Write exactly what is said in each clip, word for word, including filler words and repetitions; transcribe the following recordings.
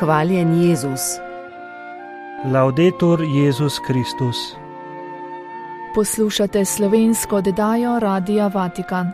Hvaljen Jezus. Laudetur Jezus Kristus. Poslušate slovensko oddajo Radia Vatikan.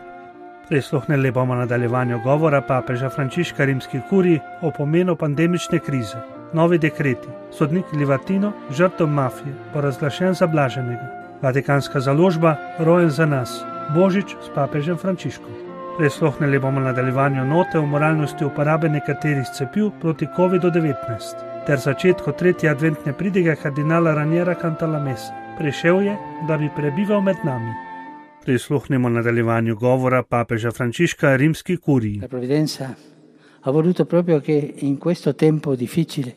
Prisluhnili bomo nadaljevanju govora papeža Frančiška rimski kuriji o pomenu pandemične krize. Novi dekreti. Sodnik Livatino, žrtev mafije, bo razglašen za blaženega. Vatikanska založba, rojen za nas. Božič s papežem Frančiškom. Prisluhnili bomo nadaljevanju note o moralnosti uporabe nekaterih cepiv proti kovidu devetnajst ter začetku tretje adventne pridige kardinala Raniera Cantalamessa. Prišel je, da bi prebival med nami. Prisluhnimo nadaljevanju govora papeža Frančiška rimski kuriji. La provvidenza ha voluto proprio che in questo tempo difficile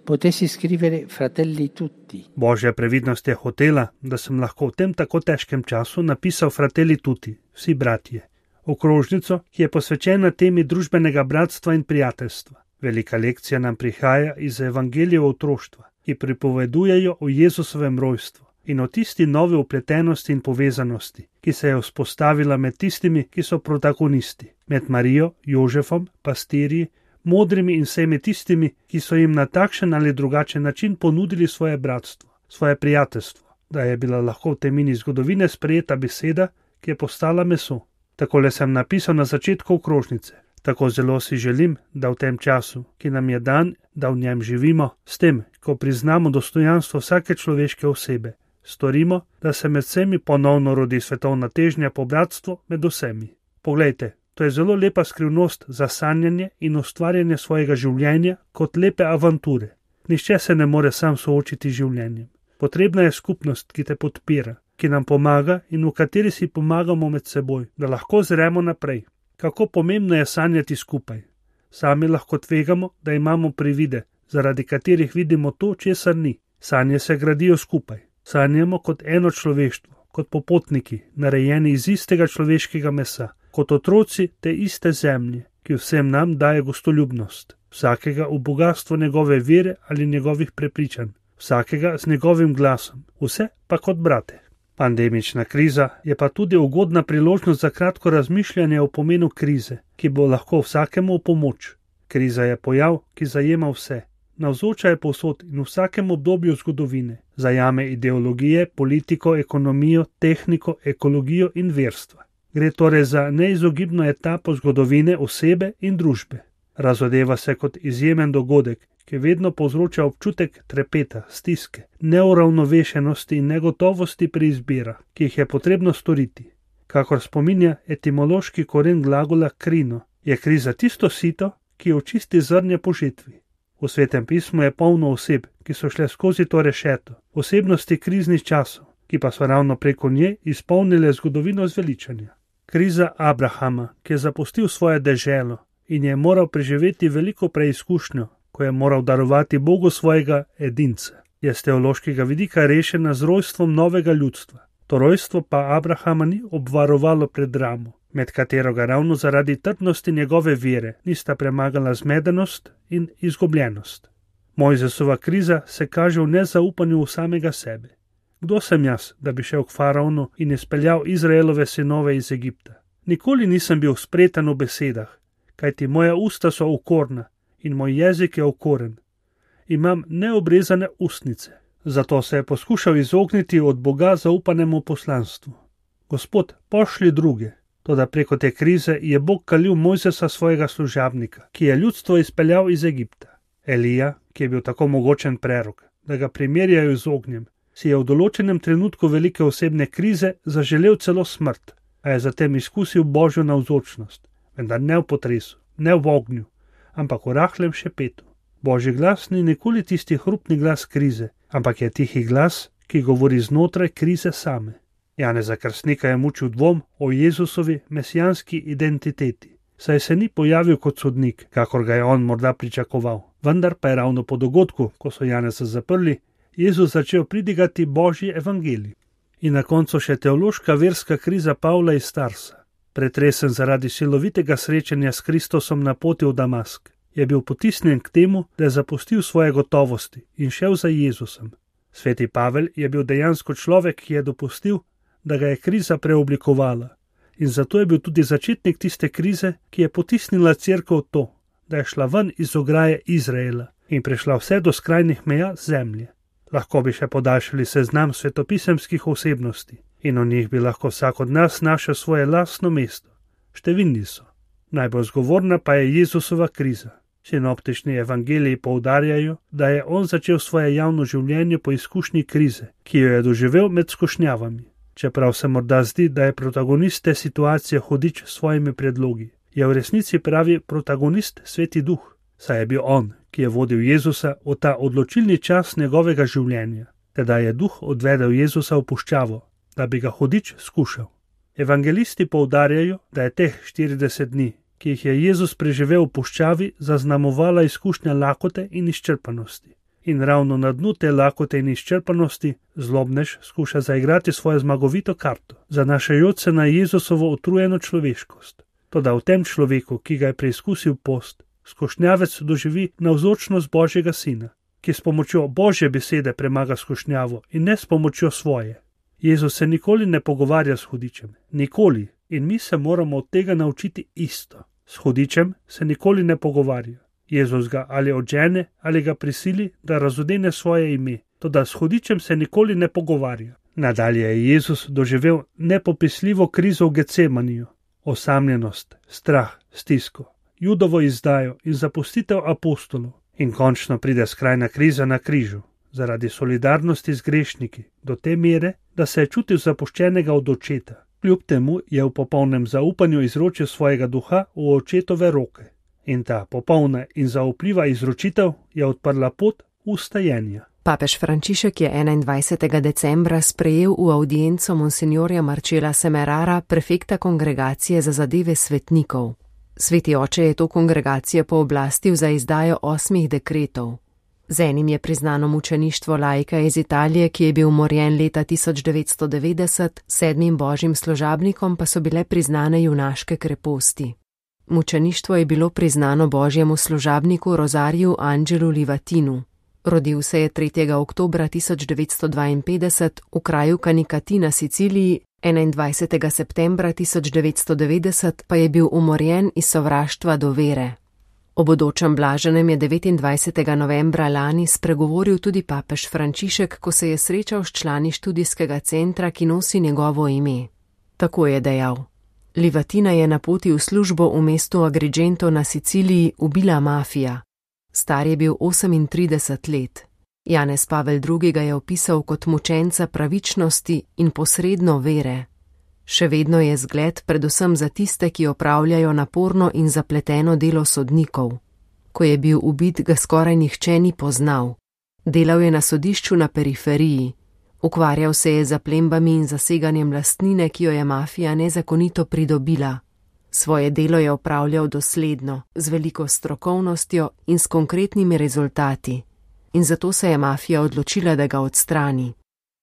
potessi scrivere fratelli tutti. Božja previdnost je hotela, da sem lahko v tem tako težkem času napisal fratelli tutti, vsi bratje. Okrožnico, ki je posvečena temi družbenega bratstva in prijateljstva. Velika lekcija nam prihaja iz evangelijev otroštva, ki pripovedujejo o Jezusovem rojstvu in o tisti novi upletenosti in povezanosti, ki se je vzpostavila med tistimi, ki so protagonisti, med Marijo, Jožefom, pastirji, modrimi in vsemi tistimi, ki so jim na takšen ali drugačen način ponudili svoje bratstvo, svoje prijateljstvo, da je bila lahko v temini zgodovine sprejeta beseda, ki je postala meso. Takole sem napisal na začetku okrožnice. Tako zelo si želim, da v tem času, ki nam je dan, da v njem živimo, s tem, ko priznamo dostojanstvo vsake človeške osebe, storimo, da se med vsemi ponovno rodi svetovna težnja po bratstvu med vsemi. Poglejte, to je zelo lepa skrivnost za sanjanje in ustvarjanje svojega življenja kot lepe avanture. Nihče se ne more sam soočiti z življenjem. Potrebna je skupnost, ki te podpira, ki nam pomaga in v kateri si pomagamo med seboj, da lahko zremo naprej. Kako pomembno je sanjati skupaj. Sami lahko tvegamo, da imamo privide, zaradi katerih vidimo to, česar ni. Sanje se gradijo skupaj. Sanjamo kot eno človeštvo, kot popotniki, narejeni iz istega človeškega mesa, kot otroci te iste zemlje, ki vsem nam daje gostoljubnost. Vsakega v bogatstvo njegove vere ali njegovih prepričanj. Vsakega z njegovim glasom. Vse pa kot brate. Pandemična kriza je pa tudi ugodna priložnost za kratko razmišljanje o pomenu krize, ki bo lahko vsakemu v pomoč. Kriza je pojav, ki zajema vse. Navzoča je povsod in v vsakem obdobju zgodovine. Zajame ideologije, politiko, ekonomijo, tehniko, ekologijo in verstva. Gre torej za neizogibno etapo zgodovine osebe in družbe. Razodeva se kot izjemen dogodek, ki vedno povzroča občutek trepeta, stiske, neuravnovešenosti in negotovosti pri izbirah, ki jih je potrebno storiti. Kakor spominja etimološki koren glagola krino, je kriza tisto sito, ki očisti zrnje po žetvi. V Svetem pismu je polno oseb, ki so šle skozi to rešeto, osebnosti kriznih časov, ki pa so ravno preko nje izpolnile zgodovino zveličanja. Kriza Abrahama, ki je zapustil svoje deželo in je moral preživeti veliko preizkušnjo, ko je moral darovati Bogu svojega edinca, je z teološkega vidika rešena z rojstvom novega ljudstva. To rojstvo pa Abrahama ni obvarovalo pred dramo, med katero ga ravno zaradi trdnosti njegove vere nista premagala zmedenost in izgubljenost. Mojzesova kriza se kaže v nezaupanju v samega sebe. Kdo sem jaz, da bi šel k faraonu in izpeljal Izraelove sinove iz Egipta? Nikoli nisem bil spreten v besedah, kajti moja usta so okorna in moj jezik je okoren. Imam neobrezane ustnice, zato se je poskušal izogniti od Boga zaupanemu poslanstvu. Gospod, pošlji druge. Toda preko te krize je Bog kalil Mojzesa svojega služabnika, ki je ljudstvo izpeljal iz Egipta. Elija, ki je bil tako mogočen prerok, da ga primerjajo z ognjem, si je v določenem trenutku velike osebne krize zaželel celo smrt, a je zatem izkusil Božjo navzočnost, vendar ne v potresu, ne v ognju, ampak v rahlem šepetu. Božji glas ni nikoli tisti hrupni glas krize, ampak je tihi glas, ki govori znotraj krize same. Janeza Krstnika je mučil dvom o Jezusovi mesijanski identiteti, saj se ni pojavil kot sodnik, kakor ga je on morda pričakoval. Vendar pa je ravno po dogodku, ko so Janeza zaprli, Jezus začel pridigati Božji evangelij. In na koncu še teološka verska kriza Pavla iz Tarsa. Pretresen zaradi silovitega srečanja s Kristusom na poti v Damask, je bil potisnjen k temu, da je zapustil svoje gotovosti in šel za Jezusom. Sveti Pavel je bil dejansko človek, ki je dopustil, da ga je kriza preoblikovala, in zato je bil tudi začetnik tiste krize, ki je potisnila cerkev v to, da je šla ven iz ograje Izraela in prišla vse do skrajnih meja zemlje. Lahko bi še podaljšali seznam svetopisemskih osebnosti in o njih bi lahko vsak od nas našel svoje lastno mesto. Številni so. Najbolj zgovorna pa je Jezusova kriza. Sinoptični evangeliji poudarjajo, da je on začel svoje javno življenje po izkušnji krize, ki jo je doživel med skušnjavami. Čeprav se morda zdi, da je protagonist te situacije hudič s svojimi predlogi, je v resnici pravi protagonist Sveti Duh, saj je bil on, ki je vodil Jezusa v ta odločilni čas njegovega življenja. Tedaj je Duh odvedel Jezusa v puščavo, da bi ga hudič skušal. Evangelisti poudarjajo, da je teh štirideset dni, ki jih je Jezus preživel v puščavi, zaznamovala izkušnja lakote in izčrpanosti. In ravno na dnu te lakote in izčrpanosti zlobnež skuša zaigrati svojo zmagovito karto, zanašajoč se na Jezusovo utrujeno človeškost. Toda v tem človeku, ki ga je preizkusil post, skušnjavec doživi navzočnost Božjega Sina, ki s pomočjo Božje besede premaga skušnjavo in ne s pomočjo svoje. Jezus se nikoli ne pogovarja s hudičem, nikoli, in mi se moramo od tega naučiti isto. S hudičem se nikoli ne pogovarja. Jezus ga ali odžene ali ga prisili, da razodene svoje ime, toda s hudičem se nikoli ne pogovarja. Nadalje je Jezus doživel nepopisljivo krizo v Getsemaniju, osamljenost, strah, stisko, Judovo izdajo in zapustitev apostolov. In končno pride skrajna kriza na križu, zaradi solidarnosti z grešniki, do te mere, da se je čutil zapuščenega od očeta. Kljub temu je v popolnem zaupanju izročil svojega duha v očetove roke. In ta popolna in zaupljiva izročitev je odprla pot ustajenja. Papež Frančišek je enaindvajsetega decembra sprejel v avdienco monsinjorja Marcela Semerara, prefekta kongregacije za zadeve svetnikov. Sveti oče je to kongregacijo pooblastil za izdajo osmih dekretov. Z enim je priznano mučeništvo laika iz Italije, ki je bil umorjen leta tisoč devetsto devetdeset, sedmim božjim služabnikom pa so bile priznane junaške kreposti. Mučeništvo je bilo priznano božjemu služabniku Rozariju Angelu Livatinu. Rodil se je tretjega oktobra tisoč devetsto dvainpetdeset v kraju Kanikati na Siciliji, enaindvajsetega septembra tisoč devetsto devetdeset pa je bil umorjen iz sovraštva do vere. O bodočem blaženem je devetindvajsetega novembra lani spregovoril tudi papež Frančišek, ko se je srečal s člani študijskega centra, ki nosi njegovo ime. Tako je dejal: Livatina je na poti v službo v mestu Agrigento na Siciliji ubila mafija. Star je bil osemintrideset let. Janez Pavel drugi ga je opisal kot mučenca pravičnosti in posredno vere. Še vedno je zgled predvsem za tiste, ki opravljajo naporno in zapleteno delo sodnikov. Ko je bil ubit, ga skoraj nihče ni poznal. Delal je na sodišču na periferiji. Ukvarjal se je z zaplembami in zaseganjem lastnine, ki jo je mafija nezakonito pridobila. Svoje delo je opravljal dosledno, z veliko strokovnostjo in s konkretnimi rezultati. In zato se je mafija odločila, da ga odstrani.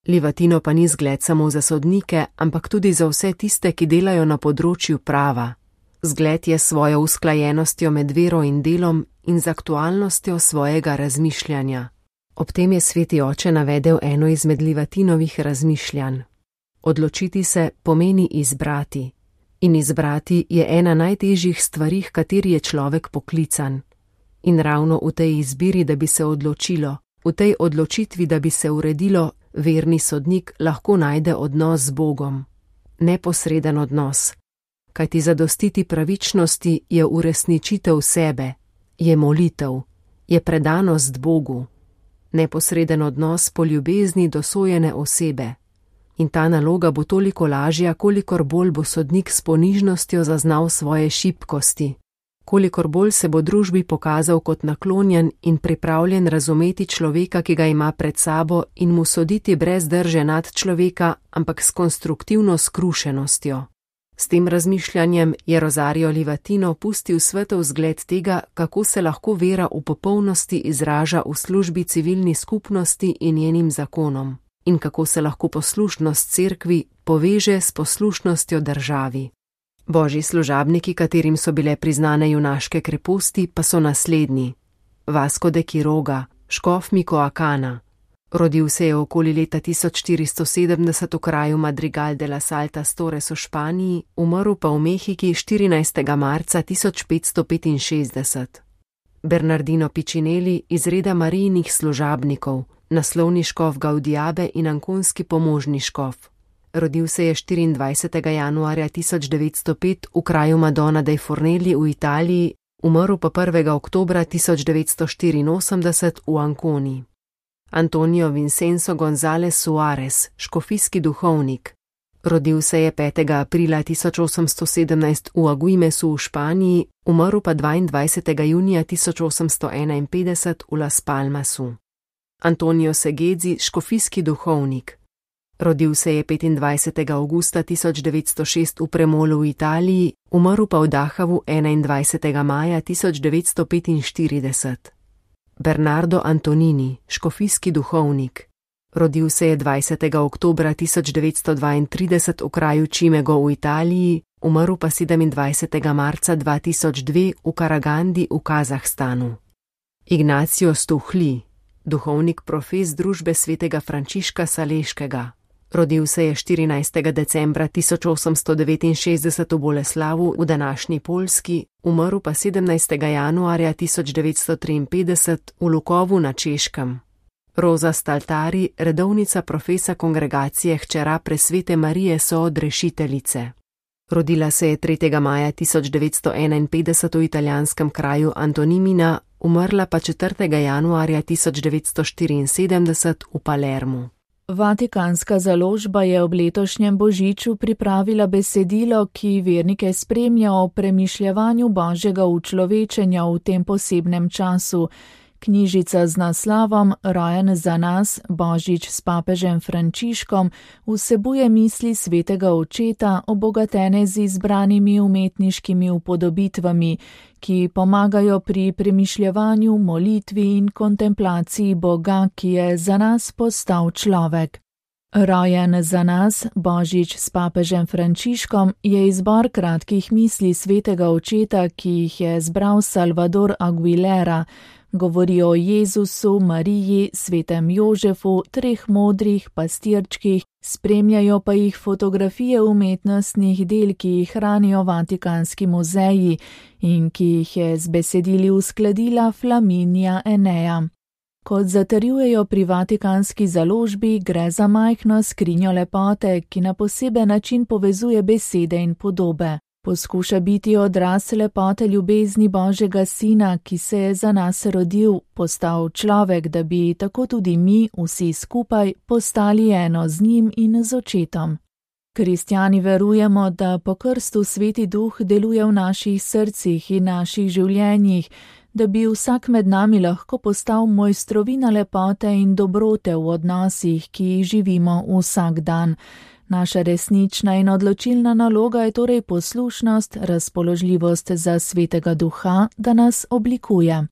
Livatino pa ni zgled samo za sodnike, ampak tudi za vse tiste, ki delajo na področju prava. Zgled je svojo usklajenostjo med vero in delom in z aktualnostjo svojega razmišljanja. Ob tem je sveti oče navedel eno izmed Livatinovih razmišljanj. Odločiti se pomeni izbrati. In izbrati je ena najtežjih stvari, h kateri je človek poklican. In ravno v tej izbiri, da bi se odločilo, v tej odločitvi, da bi se uredilo, verni sodnik lahko najde odnos z Bogom. Neposreden odnos. Kajti zadostiti pravičnosti je uresničitev sebe, je molitev, je predanost Bogu. Neposreden odnos po ljubezni do sojene osebe. In ta naloga bo toliko lažja, kolikor bolj bo sodnik s ponižnostjo zaznal svoje šibkosti, kolikor bolj se bo družbi pokazal kot naklonjen in pripravljen razumeti človeka, ki ga ima pred sabo, in mu soditi brez drže nad človeka, ampak s konstruktivno skrušenostjo. S tem razmišljanjem je Rosario Livatino pustil svetov zgled tega, kako se lahko vera v popolnosti izraža v službi civilni skupnosti in njenim zakonom, in kako se lahko poslušnost cerkvi poveže s poslušnostjo državi. Božji služabniki, katerim so bile priznane junaške kreposti, pa so naslednji: Vasco de Quiroga, škof Micoacana. Rodil se je okoli leta tisoč štiristo sedemdeset v kraju Madrigal de las Altas Torres v Španiji, umrl pa v Mehiki štirinajstega marca tisoč petsto petinšestdeset. Bernardino Pičineli iz reda Marijinih služabnikov, naslovni škof Gaudiabe in ankonski pomožni škof. Rodil se je štiriindvajsetega januarja tisoč devetsto pet v kraju Madonna dei Fornelli v Italiji, umrl pa prvega oktobra tisoč devetsto štiriinosemdeset v Anconi. Antonio Vincenzo González Suárez, škofijski duhovnik. Rodil se je petega aprila tisoč osemsto sedemnajst v Aguimesu v Španiji, umrl pa dvaindvajsetega junija tisoč osemsto enainpetdeset v Las Palmasu. Antonio Segezzi, škofijski duhovnik. Rodil se je petindvajsetega avgusta tisoč devetsto šest v Premolu v Italiji, umrl pa v Dachavu enaindvajsetega maja tisoč devetsto petinštirideset. Bernardo Antonini, škofijski duhovnik. Rodil se je dvajsetega oktobra tisoč devetsto dvaintrideset v kraju Cimego v Italiji, umrl pa sedemindvajsetega marca dva tisoč dve v Karagandi v Kazahstanu. Ignacio Stuhli, duhovnik profes družbe svetega Frančiška Saleškega. Rodil se je štirinajstega decembra tisoč osemsto devetinšestdeset v Boleslavu v današnji Poljski, umrl pa sedemnajstega januarja tisoč devetsto triinpetdeset v Lukovu na Češkem. Roza Staltari, redovnica profesa kongregacije hčera Presvete Marije Soodrešiteljice. Rodila se je tretjega maja tisoč devetsto enainpetdeset v italijanskem kraju Antonimina, umrla pa četrtega januarja tisoč devetsto štiriinsedemdeset v Palermu. Vatikanska založba je ob letošnjem božiču pripravila besedilo, ki vernike spremlja o premišljevanju Božjega učlovečenja v tem posebnem času. Knjižica z naslovom Rojen za nas, Božič s papežem Frančiškom vsebuje misli svetega očeta, obogatene z izbranimi umetniškimi upodobitvami, ki pomagajo pri premišljevanju, molitvi in kontemplaciji Boga, ki je za nas postal človek. Rojen za nas, Božič s papežem Frančiškom je izbor kratkih misli svetega očeta, ki jih je zbral Salvador Aguilera. Govori o Jezusu, Mariji, svetem Jožefu, treh modrih pastirčkih, spremljajo pa jih fotografije umetnostnih del, ki jih hranijo Vatikanski muzeji in ki jih je z besedili uskladila Flaminija Enea. Kot zatrjujejo pri Vatikanski založbi, gre za majhno skrinjo lepote, ki na poseben način povezuje besede in podobe. Poskuša biti odraz lepote ljubezni Božjega Sina, ki se je za nas rodil, postal človek, da bi tako tudi mi, vsi skupaj, postali eno z njim in z očetom. Kristjani verujemo, da po krstu Sveti Duh deluje v naših srcih in naših življenjih, da bi vsak med nami lahko postal mojstrovina lepote in dobrote v odnosih, ki jih živimo vsak dan. Naša resnična in odločilna naloga je torej poslušnost, razpoložljivost za Svetega Duha, da nas oblikuje.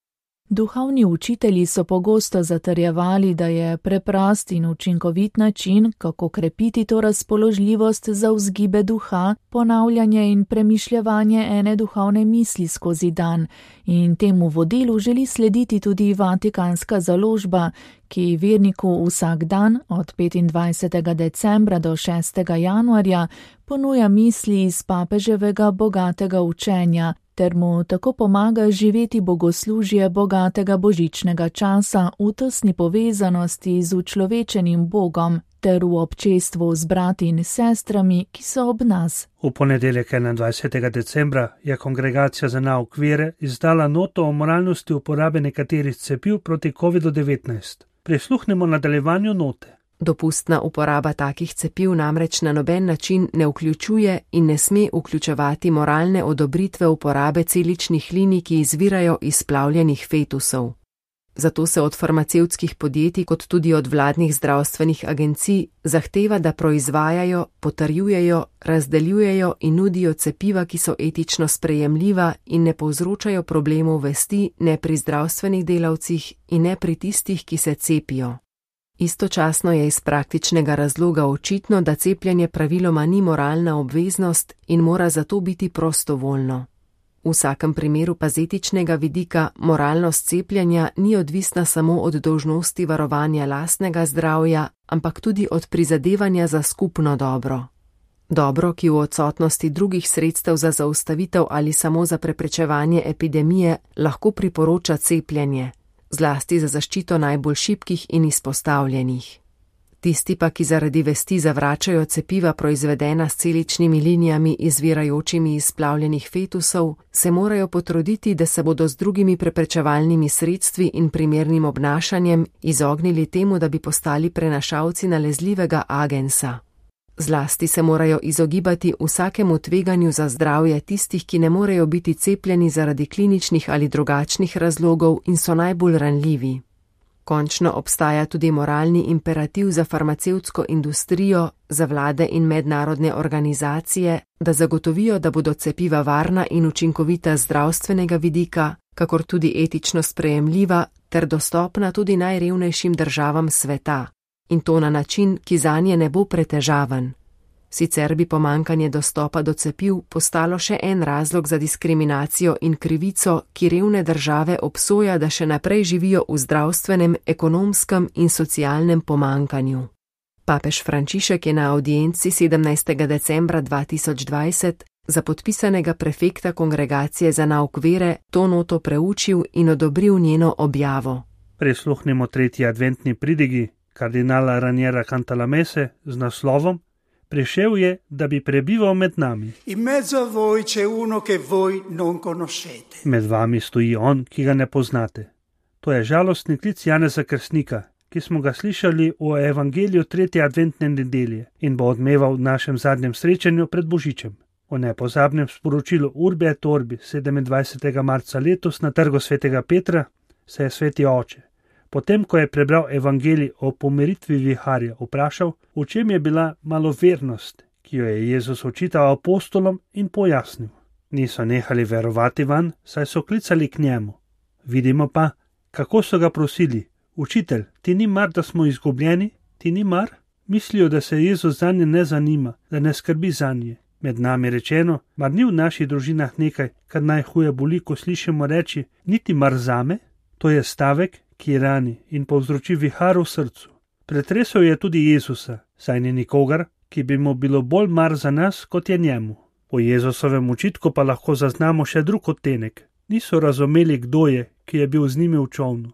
Duhovni učitelji so pogosto zatrjevali, da je preprost in učinkovit način, kako krepiti to razpoložljivost za vzgibe duha, ponavljanje in premišljevanje ene duhovne misli skozi dan, in temu vodilu želi slediti tudi Vatikanska založba, ki verniku vsak dan od petindvajsetega decembra do šestega januarja ponuja misli iz papeževega bogatega učenja, ter mu tako pomaga živeti bogoslužje bogatega božičnega časa v tesni povezanosti z učlovečenim Bogom ter v občestvu z brati in sestrami, ki so ob nas. V ponedeljek enaindvajsetega decembra je Kongregacija za nauk vere izdala noto o moralnosti uporabe nekaterih cepiv proti kovidu devetnajst. Prisluhnemo nadaljevanju note. Dopustna uporaba takih cepiv namreč na noben način ne vključuje in ne sme vključevati moralne odobritve uporabe celičnih linij, ki izvirajo iz splavljenih fetusov. Zato se od farmacevtskih podjetij kot tudi od vladnih zdravstvenih agencij zahteva, da proizvajajo, potrjujejo, razdeljujejo in nudijo cepiva, ki so etično sprejemljiva in ne povzročajo problemov vesti ne pri zdravstvenih delavcih in ne pri tistih, ki se cepijo. Istočasno je iz praktičnega razloga očitno, da cepljenje praviloma ni moralna obveznost in mora zato biti prostovoljno. V vsakem primeru pa z etičnega vidika moralnost cepljenja ni odvisna samo od dolžnosti varovanja lastnega zdravja, ampak tudi od prizadevanja za skupno dobro. Dobro, ki v odsotnosti drugih sredstev za zaustavitev ali samo za preprečevanje epidemije lahko priporoča cepljenje, zlasti za zaščito najbolj šibkih in izpostavljenih. Tisti pa, ki zaradi vesti zavračajo cepiva proizvedena s celičnimi linijami izvirajočimi iz splavljenih fetusov, se morajo potruditi, da se bodo z drugimi preprečevalnimi sredstvi in primernim obnašanjem izognili temu, da bi postali prenašalci nalezljivega agensa. Zlasti se morajo izogibati vsakemu tveganju za zdravje tistih, ki ne morejo biti cepljeni zaradi kliničnih ali drugačnih razlogov in so najbolj ranljivi. Končno obstaja tudi moralni imperativ za farmacevtsko industrijo, za vlade in mednarodne organizacije, da zagotovijo, da bodo cepiva varna in učinkovita z zdravstvenega vidika, kakor tudi etično sprejemljiva ter dostopna tudi najrevnejšim državam sveta, in to na način, ki zanje ne bo pretežaven. Sicer bi pomankanje dostopa do cepiv postalo še en razlog za diskriminacijo in krivico, ki revne države obsoja, da še naprej živijo v zdravstvenem, ekonomskem in socialnem pomankanju. Papež Frančišek je na avdienci sedemnajstega decembra dva tisoč dvajset za podpisanega prefekta Kongregacije za nauk vere to noto preučil in odobril njeno objavo. Prisluhnimo tretji adventni pridigi kardinala Raniera Cantalamesse z naslovom Prišel je, da bi prebival med nami. In mezzo a voi c'è uno che voi non conoscete. Med vami stoji on, ki ga ne poznate. To je žalostni klic Janeza Krstnika, ki smo ga slišali v evangeliju tretje adventne nedelje in bo odmeval v našem zadnjem srečanju pred Božičem. V nepozabnem sporočilu Urbi et Orbi sedemindvajsetega marca letos na trgu svetega Petra se je sveti oče, potem ko je prebral evangelij o pomiritvi viharja, vprašal, v čem je bila malovernost, ki jo je Jezus očital apostolom in pojasnil. Niso nehali verovati vanj, saj so klicali k njemu. Vidimo pa, kako so ga prosili, učitelj, ti ni mar, da smo izgubljeni, ti ni mar? Mislijo, da se Jezus zanje ne zanima, da ne skrbi zanje. Med nami rečeno, mar ni v naših družinah nekaj, kar najhuje boli, ko slišimo reči, niti mar zame? To je stavek, ki rani in povzroči vihar v srcu. Pretresel je tudi Jezusa, saj ni nikogar, ki bi mu bilo bolj mar za nas, kot je njemu. Po Jezusovem učitku pa lahko zaznamo še drug odtenek. Niso razumeli, kdo je, ki je bil z njimi v čolnu.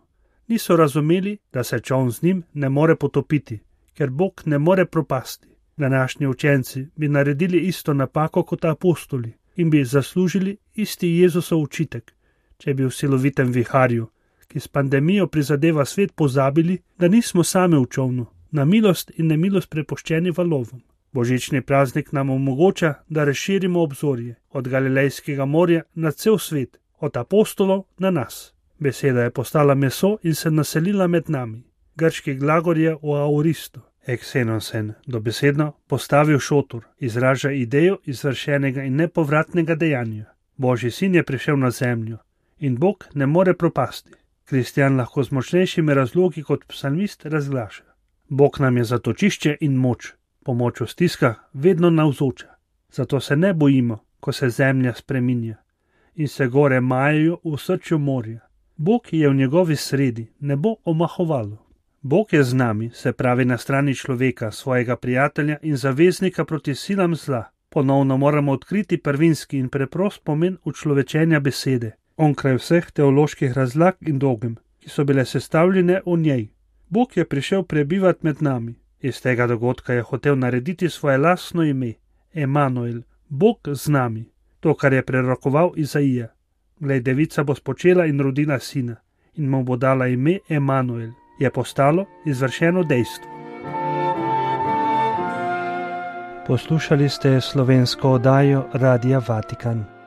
Niso razumeli, da se čoln z njim ne more potopiti, ker Bog ne more propasti. Današnji učenci bi naredili isto napako kot apostoli in bi zaslužili isti Jezusov učitek, če bi v silovitem viharju, ki s pandemijo prizadeva svet, pozabili, da nismo sami v čolnu, na milost in nemilost prepuščeni valovom. Božični praznik nam omogoča, da razširimo obzorje od Galilejskega morja na cel svet, od apostolov na nas. Beseda je postala meso in se naselila med nami. Grški glagol je o auristo, eksenosen, dobesedno postavil šotor, izraža idejo izvršenega in nepovratnega dejanja. Božji sin je prišel na zemljo in Bog ne more propasti. Kristjan lahko z močnejšimi razlogi kot psalmist razglaša. Bog nam je zatočišče in moč, pomoč v stiskah vedno navzoča. Zato se ne bojimo, ko se zemlja spreminja in se gore majajo v srču morja. Bog je v njegovi sredi, ne bo omahovalo. Bog je z nami, se pravi na strani človeka, svojega prijatelja in zaveznika proti silam zla. Ponovno moramo odkriti prvinski in preprost pomen učlovečenja besede, onkraj vseh teoloških razlag in dogem, ki so bile sestavljene v njej. Bog je prišel prebivati med nami. Iz tega dogodka je hotel narediti svoje lastno ime, Emanuel, Bog z nami, to, kar je prerokoval Izaija. Glej, devica bo spočela in rodila sina in mu bo dala ime Emanuel, je postalo izvršeno dejstvo. Poslušali ste slovensko oddajo Radia Vatikan.